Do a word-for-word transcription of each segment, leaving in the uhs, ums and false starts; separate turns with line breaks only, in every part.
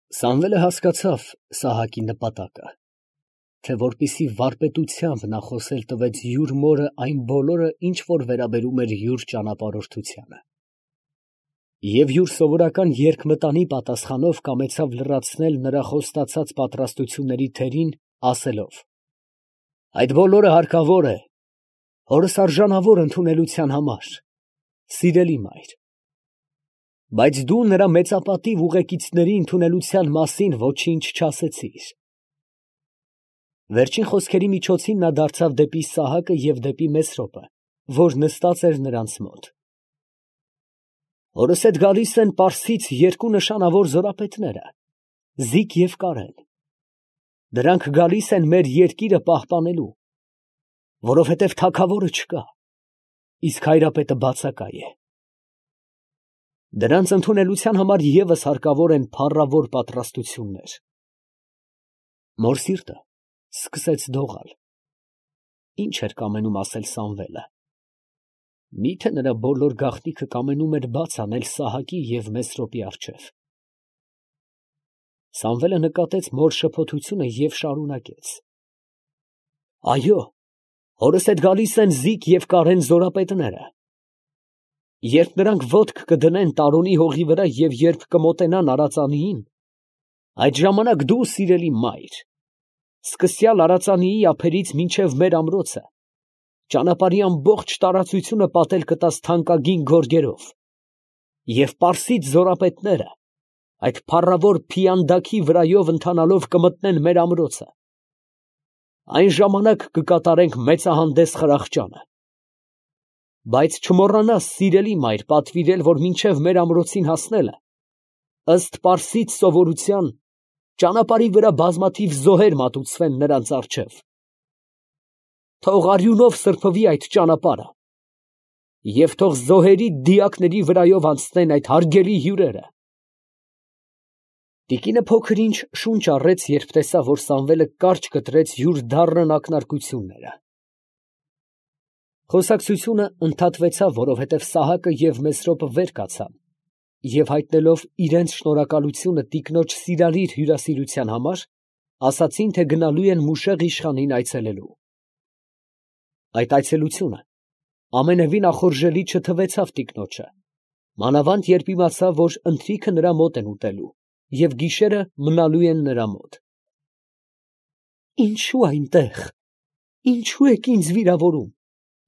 Սամվելը հասկացավ Սահակի նպատակը, թե որպեսզի վարպետությամբ նա խոսել տվեց յուր մորը այն բոլորը, ինչ որ վերաբերում էր յուր ճանապարհորդությանը, և յուր սովորական երկմտանի պատասխանով կամեցավ լրացնել նրա խոստացած պատրաստությունների թերին, ասելով. «Այդ բոլորը հարկավոր է հորս արժանավոր ընդունելության համար, սիրելի մայր, բայց դու նրա մեծապատիվ ուղեկիցների ընդունելության մասին ոչինչ չասեցիր»։ Վերջին խոսքերի միջոցին նա դարձավ դեպի Սահակը և դեպի Մեսրոպը, որ նստած էր նրանց մոտ։ «Հորս հետ գալիս են Պարսից երկու նշանավոր զորապետները, Զիկ և Կարեն. դրանք գալիս են մեր երկիրը պահպանելու, որովհետև թագավորը չկա, իսկ հայրապետը բացակա է. դրանց ընդունելության համար ևս հարկավոր են փառավոր պատրաստություններ»։ Մոր սիրտը սկսեց դողալ. ի՞նչ էր կամենում ասել Սամվելը. մի՞թե նրա բոլոր գաղտնիքը կամենում էր բաց անել Սահակի և Մեսրոպի առջև։ Սամվելը նկատեց մոր շփոթությունը և շարունակեց. «Այո, հորս հետ գալիս են Զիկ և Կարեն զորապետները. երբ նրանք ոտք կդնեն Տարոնի հողի վրա և երբ կմոտենան Արածանիին, այդ ժամանակ դու, սիրելի մայր, սկսյալ Արածանիի ափերից մինչև մեր ամրոցը, ճանապարհի ամբողջ տարածությունը պատել կտաս թանկագին գորգերով, և պարսից զորապետները այդ փառավոր Փիանդաքի վրայով ընթանալով կմտնեն մեր ամրոցը. այն ժամանակ կկատարենք մեծահանդես խրախճանը. բայց չմոռանաս, սիրելի մայր, պատվիրել, որ մինչև մեր ամրոցին հասնելը, ըստ պարսից սովորության, ճանապարհի վրա բազմաթիվ զոհեր մատուցվեն նրանց առջև. թող արյունով սրբվի այդ ճանապարհը, և թող զոհերի դիակների վրայով անցնեն այդ հարգելի հյուրերը»։ Տիկինը փոքր ինչ շունչ առեց, երբ տեսավ, որ Սամվելը կարճ կտրեց յուր դառն ակնարկությունները։ Խոսակցությունը ընդհատվեցավ, որովհետև Սահակը և Մեսրոպը վեր կացան և հայտնելով իրանց շնորհակալությունը տիկնոջ սիրալիր հյուրասիրության համար, ասացին, թե գնալու են Մուշեղ իշխանին այցելելու։ Այդ այցելությունը ամենևին ախորժելի չթվեցավ տիկնոջը, մանավանդ երբ իմացավ, որ ընթրիքը նրա մոտ են ուտելու և գիշերը մնալու են նրա մոտ։ «Ինչո՞ւ այնտեղ, ինչո՞ւ եք ինձ վիրավորում,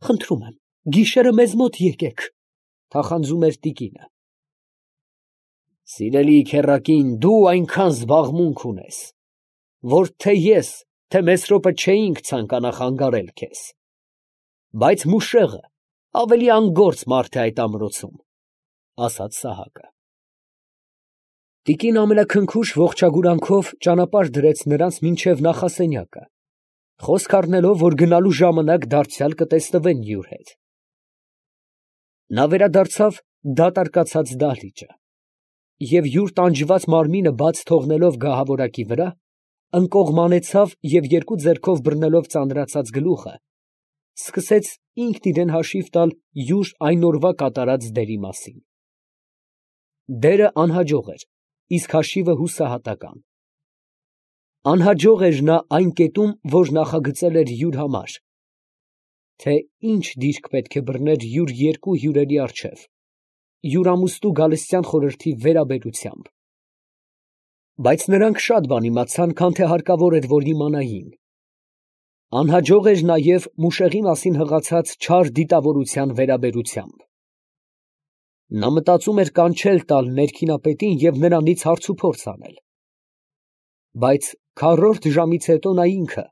խնդրում եմ, գիշերը մեզ մոտ եկեք», թախանձում էր տիկինը։ «Սիրելի քեռակին, դու այնքան զբաղմունք ունես, որ թե ես, թե Մեսրոպը չէինք ցանկանա խանգարել քեզ, բայց Մուշեղը ավելի անգործ մարդ է այդ ամրոցում», ասաց Սահակը։ Տիկին ամենաքնքուշ ողջագուրանքով ճանապարհ դրեց նրանց մինչև նախասենյակը, խոսք առնելով, որ գնալու ժամանակ դարձյալ կտեսնվեն յուր հետ։ Նա վերադարձավ դատարկացած դահլիճը և յուր տանջված մարմինը բաց թողնելով գահավորակի վրա, ընկողմանեցավ և երկու ձեռքով բռնելով ծանրացած գլուխը, սկսեց ինքն իրան հաշիվ տալ յուր այն օրվա կատարած դերի մասին։ Դերը անհաջող էր, իսկ հաշիվը հուսահատական։ Անհաջող էր նա այն կետում, որ նախագծել էր յուր համար, թե ինչ դիրք պետք է բռներ յուր երկու հյուրերի առջև, յուր ամուսնու գալստյան խորհրդի վերաբերությամբ։ Բայց նրանք շատ բան իմացան, քան թե հարկավոր էր, որ իմանային։ Անհաջող էր նաև Մուշեղի մասին հղացած չար դիտավորության վերաբերությամբ։ Նա մտածում էր կանչել տալ ներքինապետին և նրանից հարցուփորձ անել։ Բայց քառորդ ժամից հետո նա ինքը,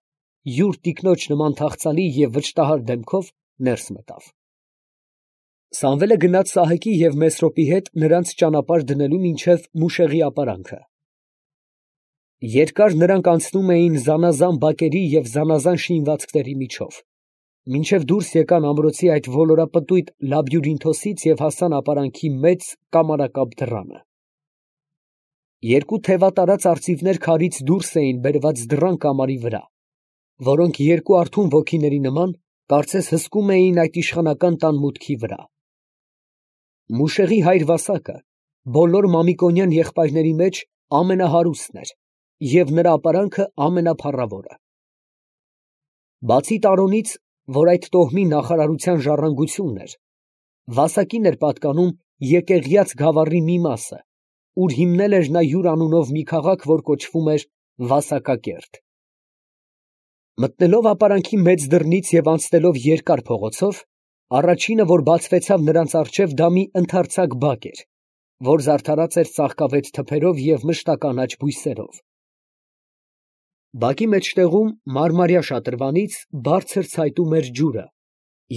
յուր տիկնոջ նման թախծալի և վշտահար դեմքով, ներս մտավ։ Սամվելը գնաց Սահակի և Մեսրոպի հետ նրանց ճանապարհ դնելու մինչև Մուշեղի ապարանքը։ Երկար նրանք անցնում էին զանազան բակերի և զանազան շինվածքների միջով, մինչև դուրս եկան ամրոցի այդ ոլորապտույտ լաբյուրինթոսից և հասան ապարանքի մեծ կամարակապ դռանը։ Երկու թևատարած արծիվներ քարից դուրս էին բերված դռան կամարի վրա, որոնք երկու արթուն ոգիների նման, կարծես հսկում էին այդ իշխանական տան մուտքի վրա։ Մուշեղի հայր Վասակը բոլոր Մամիկոնյան եղբայրների մեջ ամենահարուստն էր և նրա ապարանքը ամենափառավորը։ Բացի Տարոնից, որ այդ տոհմի նախարարության ժառանգությունն էր, Վասակին էր պատկանում Եկեղյաց գավառի մի մասը, ուր հիմնել էր նա յուր անունով մի քաղաք, որ կոչվում էր Վասակակերտ։ Մտնելով ապարանքի մեծ դռնից և անցնելով երկար փողոցով, առաջինը, որ բացվեցավ նրանց առջև, դա մի ընդարձակ բակ էր, որ զարդարած էր ծաղկավետ թփերով և մշտականաչ բույսերով։ Բակի մեջտեղում մարմարյա շատրվանից բարձր ցայտում էր ջուրը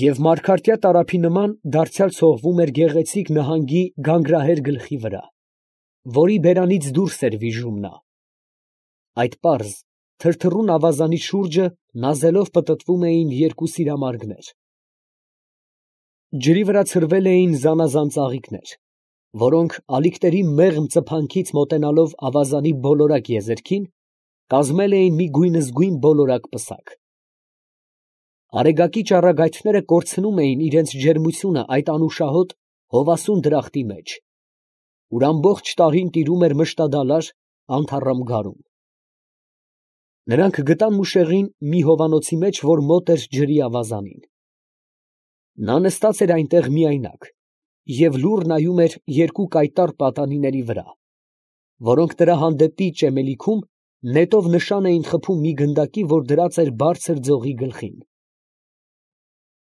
և մարգարտյա տարափի նման դարձյալ ցողվում էր գեղեցիկ նահանգի գանգրահեր գլխի վրա, որի բերանից դուրս էր վիժում նա։ Այդ պարզ, թրթռուն ավազանի շուրջը նազելով պտտվում էին երկու սիրամարգներ։ Ջրի վրա ցրվել էին զանազան ծաղիկներ, որոնք ալիքների մեղմ ծփանքից մոտենալով ավազանի բոլորակ եզերքին, կազմել էին մի գույնզգույն բոլորակ պսակ։ Արեգակի ճառագայթները կորցնում էին իրենց ջերմությունը այդ անուշահոտ հովասուն դրախտի մեջ, ուր ամբողջ տարին տիրում էր մշտադալար, անթառամ գարուն։ Նրանք գտան Մուշեղին մի հովանոցի մեջ, որ մոտ էր ջրի ավազանին։ Նա նստած էր այնտեղ միայնակ և լուռ նայում էր երկու կայտառ պատանիների վրա, որոնք նրա հանդեպի ճեմելիքում նետով նշան էին խփում մի գնդակի, որ դրած էր բարձր ձողի գլխին։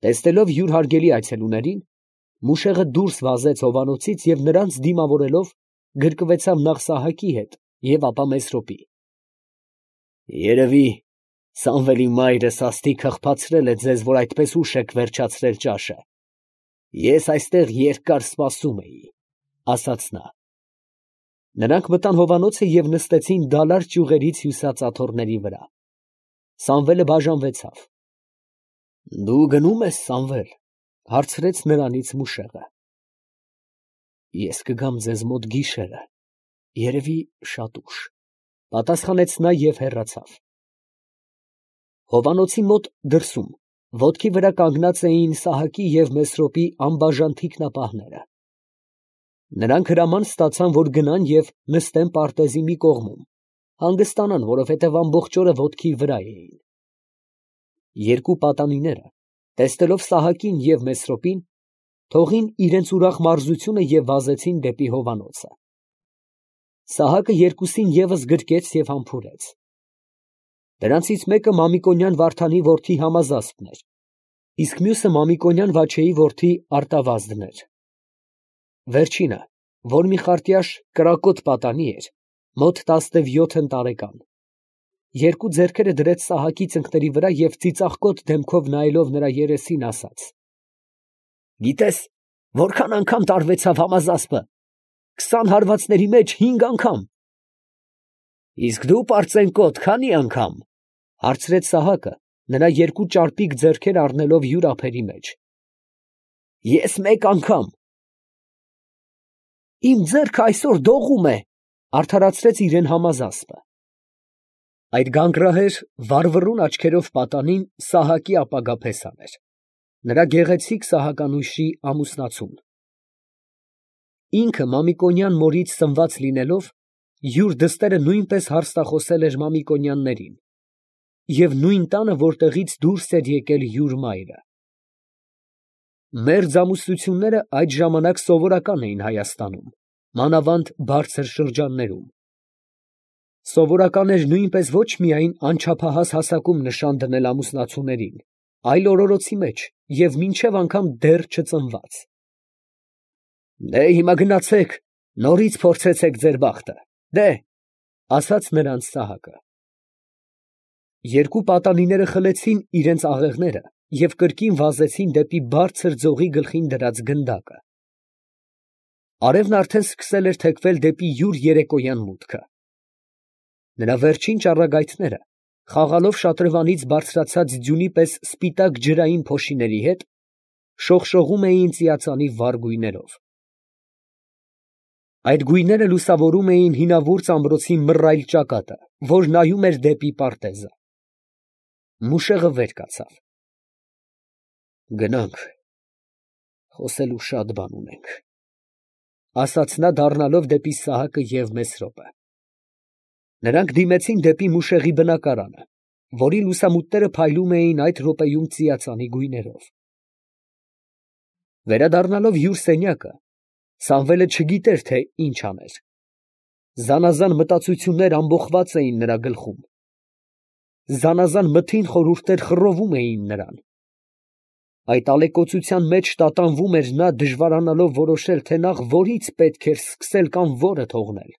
Տեսնելով յուր հարգելի այցելուներին, Մուշեղը դուրս վազեց հովանոցից և նրանց դիմավորելով, գրկվեցավ նախ Սահակի հետ և ապա Մեսրոպի։ «Երևի Սամվելի մայրը սաստիկ խղճացրել է ձեզ, որ այդպես ուշ եք վերջացրել ճաշը. ես այստեղ երկար սպասում էի, ֊ ասաց նա։ Նրանք մտան հովանոցը և նստեցին դալար ճյուղերից հյուսած աթոռների վրա։ Սամվելը բաժանվեցավ։ ֊ Դու գնո՞ւմ ես, Սամվել, ֊ հարցրեց նրանից Մուշեղը։ ֊ Ես կգամ ձեզ մոտ գիշերը, երևի շատ ուշ, ֊ պատասխանեց նա և հեռացավ։ Հովանոցի մոտ դրսում ոտքի վրա կանգնած էին Սահակի և Մեսրոպի անբաժան թիկնապահները։ Նրանք հրաման ստացան, որ գնան և նստեն պարտեզի մի կողմում, հանգստանան, որովհետև ամբողջ օրը ոտքի վրա էին։ Երկու պատանիները, տեսնելով Սահակին և Մեսրոպին, թողին իրենց ուրախ մարզությունը և վազեցին դեպի հովանոցը։ Սահակը երկուսին ևս գրկեց և համբուրեց։ Դրանցից մեկը Մամիկոնյան Վարդանի որդի Համազասպն էր, իսկ մյուսը Մամիկոնյան Վաչեի որդի Արտավազդն էր։ Վերջինը, որ մի խարտյաշ կրակոտ պատանի էր, մոտ տասնևյոթն տարեկան, երկու ձեռքերը դրեց Սահակի ծնկների վրա և ծիծաղկոտ դեմքով նայելով նրա երեսին, ասաց. «Գիտե՞ս, որքան անգամ տարվեցավ Համազասպը, քսան հարվածների մեջ հինգ անգամ»։ ֊ Իսկ դու, պարծենկոտ, քանի՞ անգամ, ֊ հարցրեց Սահակը, նրա երկու ճարպիկ ձեռքերը առնելով յուր ափերի մեջ։ ֊ Ես մեկ անգամ։ ֊ Իմ ձեռքը այսօր դողում է, ֊ արդարացրեց իրեն Համազասպը։ Այդ գանգրահեր, վառվռուն աչքերով պատանին Սահակի ապագա փեսան էր, նրա գեղեցիկ սահականուշի ամուսնացուն։ Ինքը Մամիկոնյան մորից սնված լինելով, յուր դստերը նույնպես հարստախոսել էր Մամիկոնյաններին և նույն տանը, որտեղից դուրս էր եկել յուր մայրը։ Մերձ ամուսնությունները այդ ժամանակ սովորական էին Հայաստանում, մանավանդ բարձր շրջաններում։ Սովորական էր նույնպես ոչ միայն անչափահաս հասակում նշան դնել ամուսնացուներին, այլ օրորոցի մեջ և մինչև անգամ դեռ չծնված։ ֊ Հիմա գնացեք, նորից փորձեցեք ձեր բախտը, դե, ֊ ասաց նրանց Սահակը։ Երկու պատանիները խլեցին իրանց աղեղները և կրկին վազեցին դեպի բարձր ձողի գլխին դրած գնդակը։ Արևն արդեն սկսել էր թեքվել դեպի յուր երեկոյան մուտքը։ Նրա վերջին ճառագայթները, խաղալով շատրվանից բարձրացած ձյունի պես սպիտակ ջրային փոշիների հետ, շողշողում էին ծիածանի վառ գույներով։ Այդ գույները լուսավորում էին հինավուրց ամրոցի մռայլ ճակատը, որ նայում էր դեպի պարտեզը։ Մուշեղը վեր կացավ։ ֊ Գնանք, խոսելու շատ բան ունենք, ֊ ասաց նա, դառնալով դեպի Սահակը և Մեսրոպը։ Նրանք դիմեցին դեպի Մուշեղի բնակարանը, որի լուսամուտները փայլում էին այդ րոպեում ծիածանի գույներով։ Վերադառնալով յուր սենյակը, Սամվելը չգիտեր, թե ինչ աներ։ Զանազան մտածություններ ամբոխված էին նրա գլխում։ Զանազան մթին խորհուրդներ խռովում էին նրան։ Այդ ալեկոծության մեջ տատանվում էր նա, դժվարանալով որոշել, թե նախ որից պետք էր սկսել կամ որը թողնել։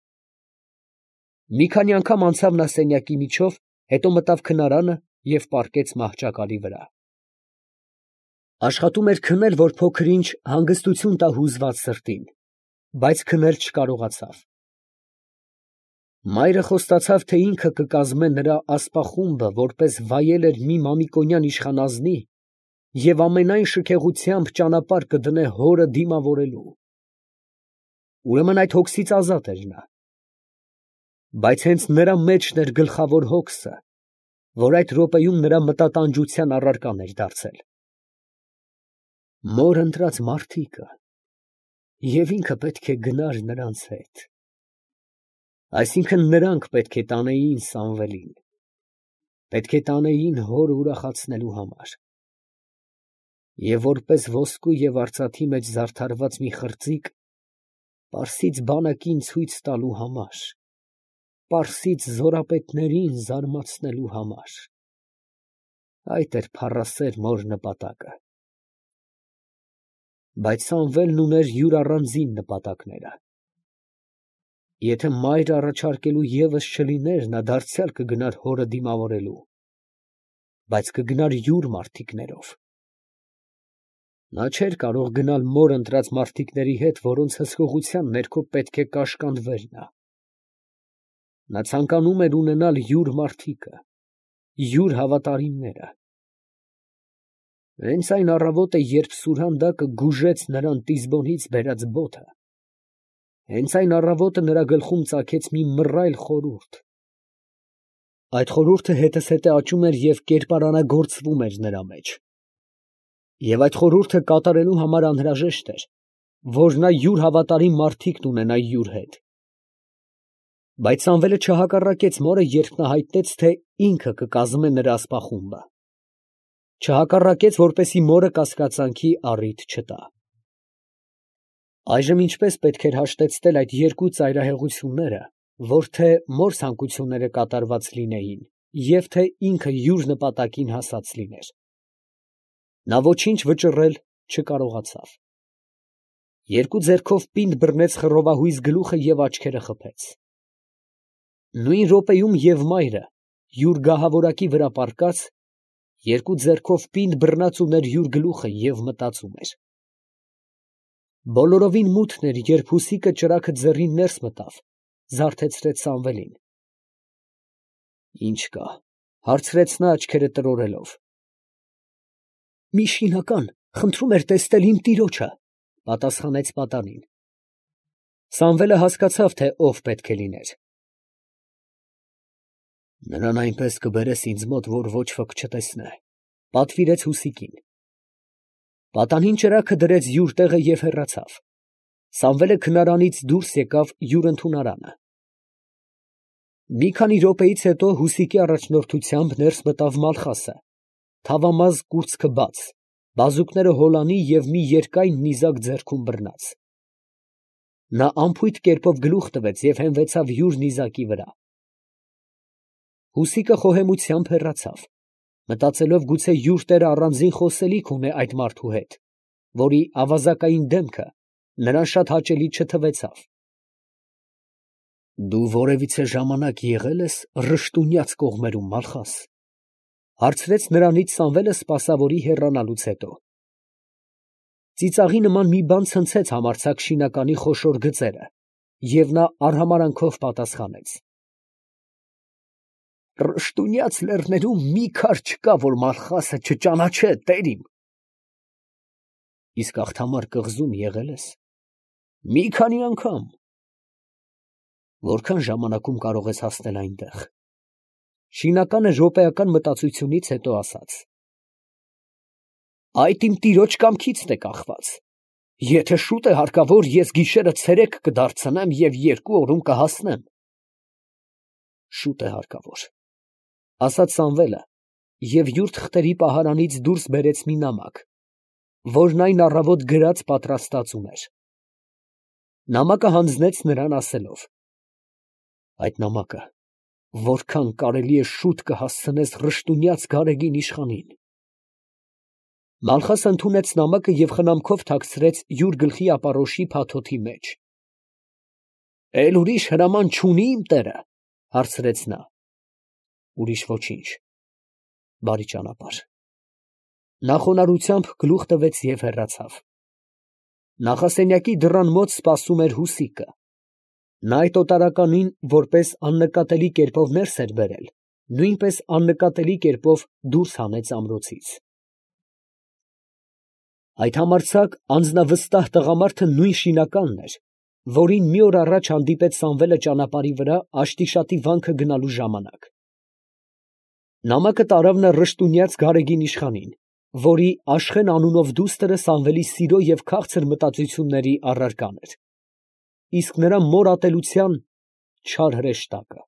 Մի քանի անգամ անցավ նա սենյակի միջով, հետո մտավ քնարանը և պառկեց մահճակալի վրա։ Աշխատում էր քնել, որ փոքր-ինչ հանգստություն տա հուզված սրտին, բայց քնել չկարողացավ։ Մայրը խոստացավ, թե ինքը կկազմե նրա ասպախումբը, որպես վայել էր մի Մամիկոնյան իշխանազնի, և ամենայն շքեղությամբ ճանապարհ կդնե հորը դիմավորելու։ Ուրեմն այդ հոգսից ազատ էր նա։ Բայց հենց նրա մեջն էր գլխավոր հոգսը, որ այդ րոպեում նրա մտատանջության առարկան էր դարձել։ Մոր ընտրած մարդիկը, և ինքը պետք է գնար նրանց հետ։ Այսինքն նրանք պետք է տանեին Սամվելին, պետք է տանեին հորը ուրախացնելու համար, և որպես ոսկու և արծաթի մեջ զարդարված մի խրձիկ, պարսից բանակին ցույց տալու համար, պարսից զորապետներին զարմացնելու համար։ Այդ էր փառասեր մոր նպատակը։ Բայց Սամվելն ուներ յուր առանձին նպատակները։ Եթե մայրը առաջարկելու ևս չլիներ, նա դարձյալ կգնար հորը դիմավորելու, բայց կգնար յուր մարդիկներով։ Նա չէր կարող գնալ մոր ընտրած մարդիկների հետ, որոնց հսկողության ներքո պետք է կաշկանդվեր նա։ Նա ցանկանում էր ունենալ յուր մարդիկը, յուր հավատարիմները։ Հենց այն առավոտը, երբ սուրհանդակը գուժեց նրան Տիզբոնից բերած բոդը, հենց այն առավոտը նրա գլխում ծագեց մի մռայլ խորհուրդ։ Այդ խորհուրդը հետզհետե աճում էր և կերպարանագործվում էր նրա մեջ։ Եվ այդ խորհուրդը կատարելու համար անհրաժեշտ էր, որ նա յուր հավատարիմ մարդիկն ունենա յուր հետ։ Բայց Սամվելը չհակառակեց մորը, երբ նա հայտնեց, թե ինքը կկազմե նրա ասպախումբը։ Չհակառակեց, որպեսզի մորը կասկածանքի առիթ չտա։ Այժմ ինչպես պետք էր հաշտեցնել այդ երկու ծայրահեղությունները, որ թե մոր ցանկությունները կատարված լինեին, և թե ինքը յուր նպատակին հասած լիներ։ Նա ոչինչ վճռել չկարողացավ։ Երկու ձեռքով պինդ բռնեց խռովահույզ գլուխը և աչքերը խփեց։ Նույն րոպեում և մայրը, յուր գահավորակի վրա պառկած, երկու ձեռքով պինդ բռնած ուներ յուր գլուխը և մտածում էր։ Բոլորովին մութն էր, երբ Հուսիկը ճրագը ձեռին ներս մտավ, զարթեցրեց Սամվելին։ «Ի՞նչ կա», ֊ հարցրեց նա աչքերը տրորելով։ «Մի շինական խնդրում էր տեսնել իմ տիրոջը», ֊ պատասխանեց պատանին։ Սամվելը հասկացավ, թե ով պետք է լիներ։ «Նրան այնպես կբերես ինձ մոտ, որ ոչ ոք չտեսնե», ֊ պատվիրեց Հուսիկին։ Պատանին ճրագը դրեց յուր տեղը և հեռացավ։ Սամվելը քնարանից դուրս եկավ յուր ընդունարանը։ Մի քանի րոպեից հետո Հուսիկի առաջնորդությամբ ներս մտավ Մալխասը, թավամազ կուրծքը բաց, բազուկները հոլանի և մի երկայն նիզակ ձեռքում բռնած։ Նա անփույթ կերպով գլուխ տվեց և հենվեցավ յուր նիզակի վրա։ Հուսիկը խոհեմությամբ հեռացավ, մտածելով գուցե յուր տերը առանձին խոսելիք ունե այդ մարդու հետ, որի ավազակային դեմքը նրան շատ հաճելի չթվեցավ։ «Դու որևիցե ժամանակ եղե՞լ ես Ռշտունյաց կողմերում, Մալխաս», ֊ հարցրեց նրանից Սամվելը սպասավորի հեռանալուց հետո։ Ծիծաղի նման մի բան ցնցեց համարձակ շինականի խոշոր գծերը, և նա արհամարհանքով պատասխանեց. «Ռշտունյաց լեռներում մի քար չկա, որ Մալխասը չճանաչե, տեր իմ»։ «Իսկ Ախթամար կղզում եղե՞լ ես»։ «Մի քանի անգամ»։ «Որքան ժամանակում կարող ես հասնել այնտեղ»։ Շինականը րոպեական մտածությունից հետո ասաց. «Այդ իմ տիրոջ կամքիցն է կախված. եթե շուտ է հարկավոր, ես գիշերը ցերեկ կդարձնեմ և երկու օրում կհասնեմ»։ Շուտ է հարկավոր, ֊ ասաց Սամվելը և յուր թղթերի պահարանից դուրս բերեց մի նամակ, որն այն առավոտ գրած պատրաստած ուներ. նամակը հանձնեց նրան, ասելով. այդ նամակը որքան կարելի է շուտ կհասցնես ռշտունյաց գարեգին իշխանին։ Մալխասը ընդունեց նամակը և խնամքով թաքցրեց յուր գլխի ապարոշի փաթոթի մեջ։ ֊ Էլ ուրիշ հրաման չունի՞ իմ տերը, ֊ հարցրեց նա։ ֊ Ուրիշ ոչինչ, բարի ճանապարհ։ Նա խոնարհությամբ գլուխ տվեց և հեռացավ։ Նախասենյակի դռան մոտ սպասում էր Հուսիկը։ Նա այդ օտարականին որպես աննկատելի կերպով ներս էր բերել, նույնպես աննկատելի կերպով դուրս հանեց ամրոցից։ Այդ համարձակ, անձնավստահ տղամարդը նույն շինականն էր, որին մի օր առաջ հանդիպեց Սամվելը ճանապարհի վրա Աշտիշատի վանքը գնալու ժամանակ։ Նամակը տարավ նա ռշտունյաց գարեգին իշխանին, որի Աշխեն անունով դուստրը Սամվելի սիրո և քաղցր մտածությունների առարական էր, իսկ նրա մոր ատելության չար հրեշտակը։